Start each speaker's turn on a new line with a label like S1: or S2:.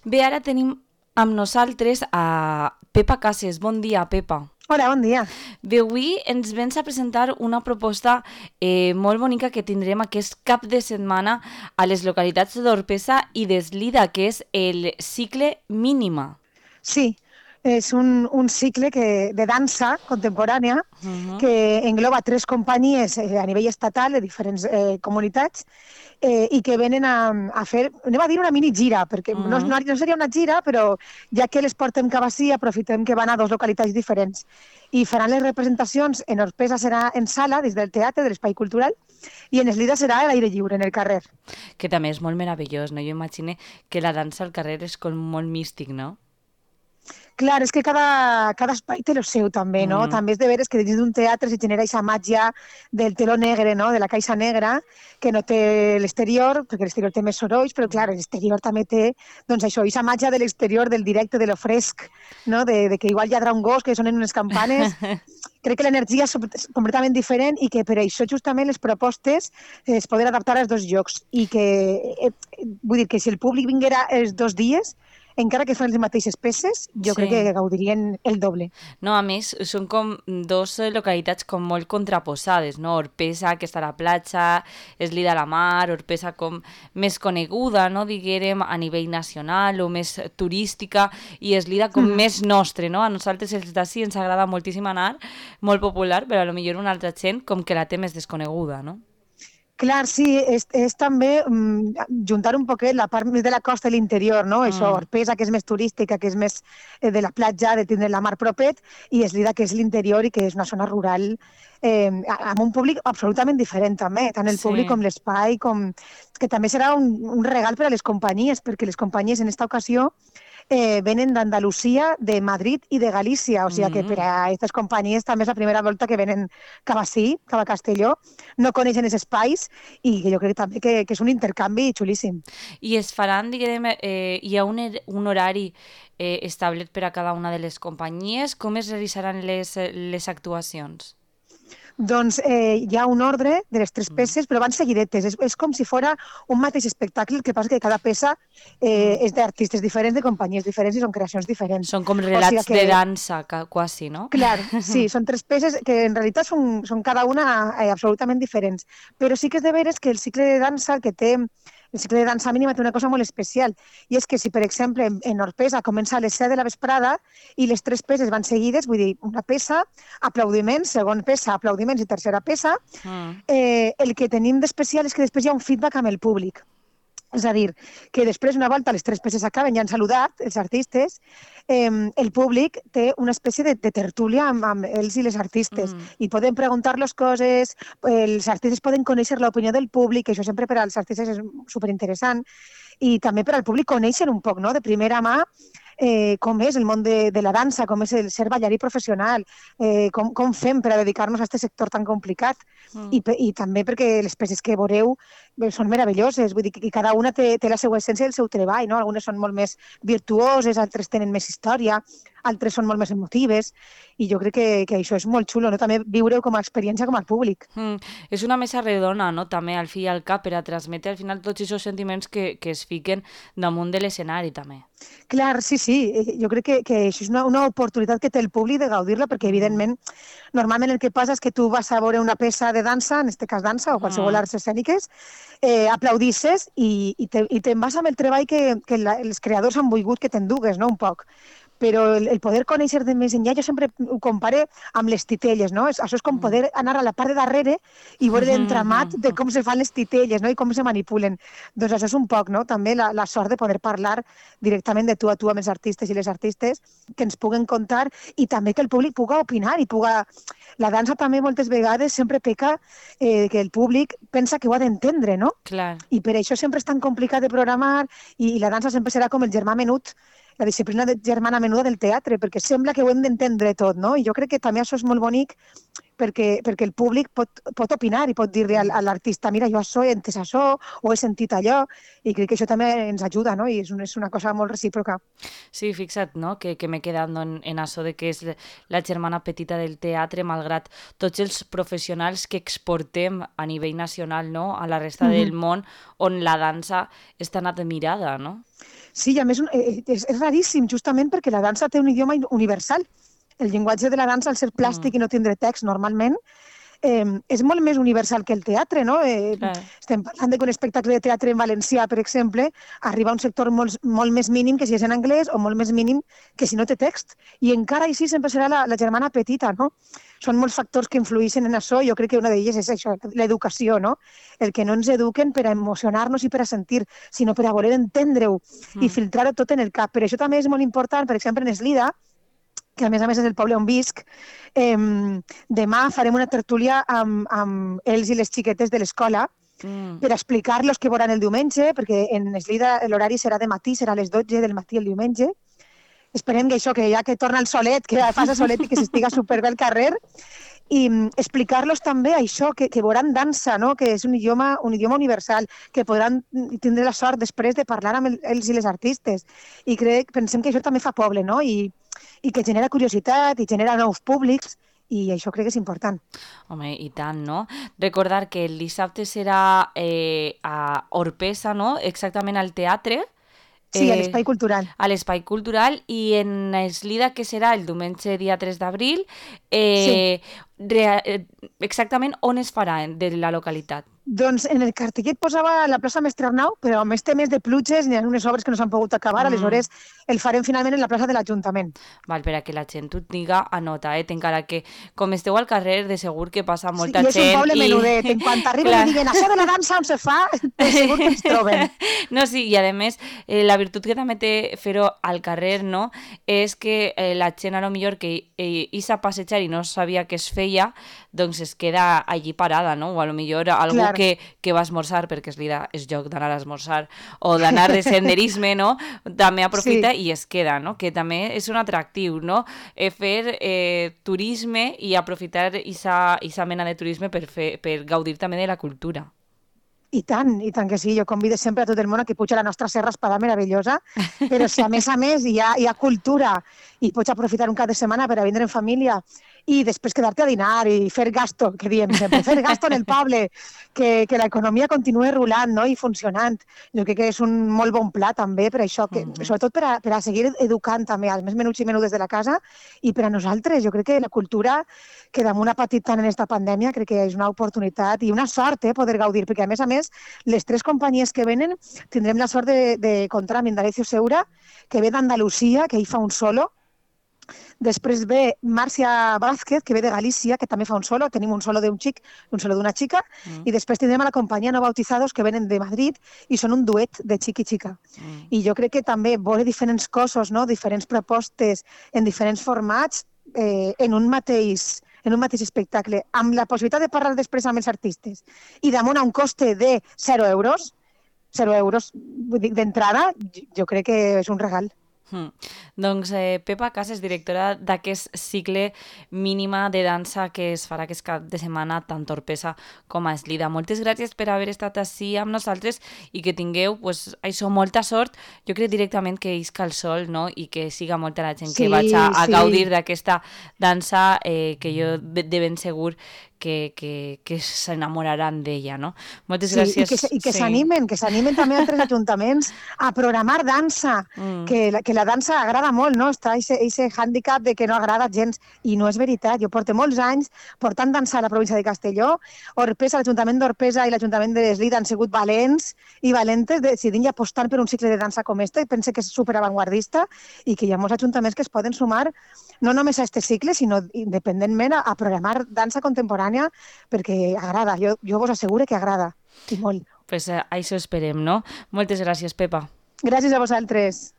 S1: Bé, ara tenim amb nosaltres a Pepa Cases. Bon dia, Pepa.
S2: Hola, bon dia.
S1: Bé, avui ens vens a presentar una proposta molt bonica que tindrem aquest cap de setmana a les localitats d'Orpesa i d'Eslida, que és el cicle Mínima.
S2: Sí, és un cicle de dansa contemporània
S1: Uh-huh.
S2: que engloba 3 companyies a nivell estatal de diferents comunitats i que venen a fer, anem a dir una mini gira, perquè
S1: Uh-huh.
S2: no seria una gira, però ja que les portem cap ací, aprofitem que van a 2 localitats diferents. I faran les representacions, en Orpesa serà en sala, des del teatre, de l'espai cultural, i en Eslida serà a l'aire lliure, en el carrer.
S1: Que també és molt meravellós, no? Jo imagino que la dansa al carrer és com molt místic, no?
S2: Clar, és que cada espai té el seu també, no?
S1: Mm.
S2: També és de veres que dins d'un teatre se genera aquesta màgia del teló negre, no? De la caixa negra, que no té l'exterior, perquè l'exterior té més sorolls, però clar, l'exterior també té, doncs això, aquesta màgia de l'exterior, del directe, de lo fresc, no? De que igual lladra un gos, que sonen unes campanes. Crec que l'energia és completament diferent i que per això justament les propostes es poden adaptar als 2 llocs i que, vull dir que si el públic vinguera els 2 dies, encara que fan les mateixes peces, jo crec
S1: Sí.
S2: que gaudirien el doble.
S1: No, a més, són com dos localitats com molt contraposades, no? Orpesa, que està a la platja, Eslida a la mar, Orpesa com més coneguda, no? Diguérem, a nivell nacional o més turística, i Eslida com més nostre, no? A nosaltres els d'ací ens agrada moltíssim anar, molt popular, però a lo millor una altra gent com que la té més desconeguda, no?
S2: Clar, sí, és també juntar un poquet la part més de la costa i l'interior, no? Això,
S1: Mm.
S2: Orpesa, que és més turística, que és més de la platja, de tindre la mar propet, i Eslida, que és l'interior i que és una zona rural amb un públic absolutament diferent també, tant el públic
S1: Sí.
S2: com l'espai, que també serà un regal per a les companyies, perquè les companyies en aquesta ocasió venen d'Andalusia, de Madrid i de Galícia, o sigui que per
S1: Mm.
S2: a aquestes companyies també és la primera volta que venen cap ací, cap a Castelló, no coneixen els espais i jo crec també que és un intercanvi xulíssim.
S1: I es faran, diguem, hi ha un horari establit per a cada una de les companyies? Com es realitzaran les actuacions?
S2: Doncs hi ha un ordre de les 3 peces, però van seguidetes. És com si fora un mateix espectacle, el que passa que cada peça
S1: Mm.
S2: és d'artistes diferents, de companyies diferents i són creacions diferents.
S1: Són com
S2: O sigui
S1: relats
S2: que,
S1: de dansa, quasi, no?
S2: clar, sí, són 3 peces que en realitat són cada una absolutament diferents. Però sí que és de veres que el cicle de dansa, el cicle de dansa mínima té una cosa molt especial, i és que si, per exemple, en Orpesa comença a les 7 de la vesprada i les 3 peces van seguides, vull dir, una peça, aplaudiments, segona peça, aplaudiments i tercera peça,
S1: Mm.
S2: el que tenim d'especial és que després hi ha un feedback amb el públic. És a dir, que després, una volta les 3 peces acaben, ja han saludat els artistes, el públic té una espècie de tertúlia amb ells i les artistes
S1: Mm.
S2: i poden preguntar-los coses, els artistes poden conèixer l'opinió del públic, que això sempre per als artistes és superinteressant, i també per al públic conèixer un poc, no?, de primera mà, com és el món de la dansa, com és el ser ballarí professional, com fem per a dedicar-nos a aquest sector tan complicat.
S1: Mm.
S2: I també perquè les peces que veureu són meravelloses, vull dir que cada una té la seva essència i el seu treball, no? Algunes són molt més virtuoses, altres tenen més història, altres són molt més emotives, i jo crec que això és molt xulo, no? També viure-ho com a experiència com al públic.
S1: Mm. És una mesa redona, no?, també, al fi i al cap, per a transmetre al final tots aquests sentiments que es fiquen damunt de l'escenari, també.
S2: Clar, sí, sí, jo crec que això és una oportunitat que té el públic de gaudir-la, perquè,
S1: Mm.
S2: evidentment, normalment el que passa és que tu vas a veure una peça de dansa, en aquest cas dansa, o qualsevol
S1: Mm.
S2: arts escèniques, aplaudisses i te'n vas amb el treball que els creadors han volgut que t'endugues, no?, un poc. Però el poder conèixer de més enllà, jo sempre ho compare amb les titelles, no? Això és com
S1: Mm.
S2: poder anar a la part de darrere i veure l'entramat de com se fan les titelles, no?, i com se manipulen. Doncs això és un poc, no?, també la sort de poder parlar directament de tu a tu amb els artistes i les artistes, que ens puguen contar, i també que el públic puga opinar i puga... La dansa també moltes vegades sempre peca que el públic pensa que ho ha d'entendre, no?
S1: Clar.
S2: I per això sempre és tan complicat de programar, i la dansa sempre serà com el germà menut, la disciplina germana menuda del teatre, perquè sembla que ho hem d'entendre tot, no? I jo crec que també això és molt bonic perquè el públic pot opinar i pot dir-li a l'artista, mira, jo això he entès això, o he sentit allò, i crec que això també ens ajuda, no? I és una cosa molt recíproca.
S1: Sí, fixa't, no?, que m'he quedat en això de que és la germana petita del teatre, malgrat tots els professionals que exportem a nivell nacional, no?, a la resta del món, on la dansa és tan admirada, no?
S2: Sí, i a més és raríssim, justament perquè la dansa té un idioma universal. El llenguatge de la dansa, al ser plàstic i no tindre text normalment, és molt més universal que el teatre, no?
S1: Clar.
S2: Estem parlant de que un espectacle de teatre en valencià, per exemple, arriba a un sector molt més mínim que si és en anglès o molt més mínim que si no té text. I encara així sempre serà la germana petita, no? Són molts factors que influeixen en això. Jo crec que una d'elles és això, l'educació, no? El que no ens eduquen per a emocionar-nos i per a sentir, sinó per a voler entendre-ho i filtrar-ho tot en el cap. Per això també és molt important, per exemple, en Eslida, que a més és el poble on visc, demà farem una tertúlia amb ells i les xiquetes de l'escola per explicar-los què veuran el diumenge, perquè en Eslida l'horari serà de matí, serà a les 12 del matí el diumenge. Esperem que això, que ja que torna el solet, que faci solet i que s'estiga superbé al carrer, i explicar-los també això, que veuran dansa, no? Que és un idioma universal, que podran tindre la sort després de parlar amb ells i les artistes. I pensem que això també fa poble, no? I que genera curiositat i genera nous públics, i això crec que és important.
S1: Home, i tant, no? Recordar que el dissabte serà a Orpesa, no? Exactament al teatre.
S2: Sí, a l'Espai Cultural.
S1: A l'Espai Cultural, i en Eslida, que serà el diumenge dia 3 d'abril,
S2: Sí.
S1: exactament on es farà de la localitat?
S2: Doncs en el cartellet posava la plaça Mestre Arnau, però amb més temes de pluges n'hi ha unes obres que no s'han pogut acabar, aleshores el farem finalment en la plaça de l'Ajuntament.
S1: Val, per a que la gent ho tinga a nota, encara que com esteu al carrer, de segur que passa molta gent.
S2: I és un poble menudet, en quant arriben i diguen això de la dansa on se fa, de segur que ens troben.
S1: No, sí, i a més, la virtut que també té fer-ho al carrer, no?, és que la gent, a lo millor, que isa a passejar i no sabia què es feia, doncs es queda allí parada, no? O a lo millor algú que va a esmorzar, perquè és lloc d'anar a esmorzar, o d'anar de senderisme, no? També aprofita i es queda, no? Que també és un atractiu, no? Fer turisme i aprofitar aquesta mena de turisme per gaudir també de la cultura.
S2: I tant que sí. Jo convido sempre a tot el món a que puja a la nostra Serra Espadà meravellosa, però si a més hi ha cultura i pots aprofitar un cap de setmana per a vindre en família i després quedar-te a dinar i fer gasto, que diem sempre, fer gasto en el poble, que l'economia continuï rulant, no?, i funcionant. Jo crec que és un molt bon pla també per això, sobretot per a seguir educant també als més menuts i menudes de la casa, i per a nosaltres. Jo crec que la cultura, que damunt ha patit tant en aquesta pandèmia, crec que és una oportunitat i una sort poder gaudir, perquè a més, les 3 companyies que venen tindrem la sort de comptar amb Indalecio Seura, que ve d'Andalusia, que ell fa un solo. Després ve Màrcia Vázquez, que ve de Galícia, que també fa un solo. Tenim un solo d'un xic, un solo d'una xica. I després tindrem a la companyia No Bautizados, que venen de Madrid i són un duet de xic i xica. I jo crec que també veure diferents cossos, no?, diferents propostes en diferents formats en un mateix espectacle, amb la possibilitat de parlar després amb els artistes i damunt a un coste de 0 euros d'entrada, jo crec que és un regal.
S1: Doncs Pepa Casas, directora d'aquest cicle mínima de dansa que es farà aquest cap de setmana tant a Orpesa com a Eslida. Moltes gràcies per haver estat ací amb nosaltres i que tingueu, això, molta sort. Jo crec directament que isca el sol, no?, i que siga molta la gent que vaig a gaudir d'aquesta dansa, que jo de ben segur que s'enamoraran d'ella, no? Moltes gràcies.
S2: I que s'animen també altres ajuntaments a programar dansa, que la dansa agrada molt, no? Està aquest hàndicap de que no agrada gens, i no és veritat. Jo porto molts anys portant dansa a la província de Castelló. Orpesa, l'Ajuntament d'Orpesa i l'Ajuntament de Eslida han sigut valents i valentes decidint i apostant per un cicle de dansa com este. Penso que és superavantguardista i que hi ha molts ajuntaments que es poden sumar no només a aquest cicle, sinó independentment a programar dansa contemporània, perquè agrada. Jo vos asseguro que agrada, i molt.
S1: Pues això esperem, no? Moltes gràcies, Pepa.
S2: Gràcies a vosaltres.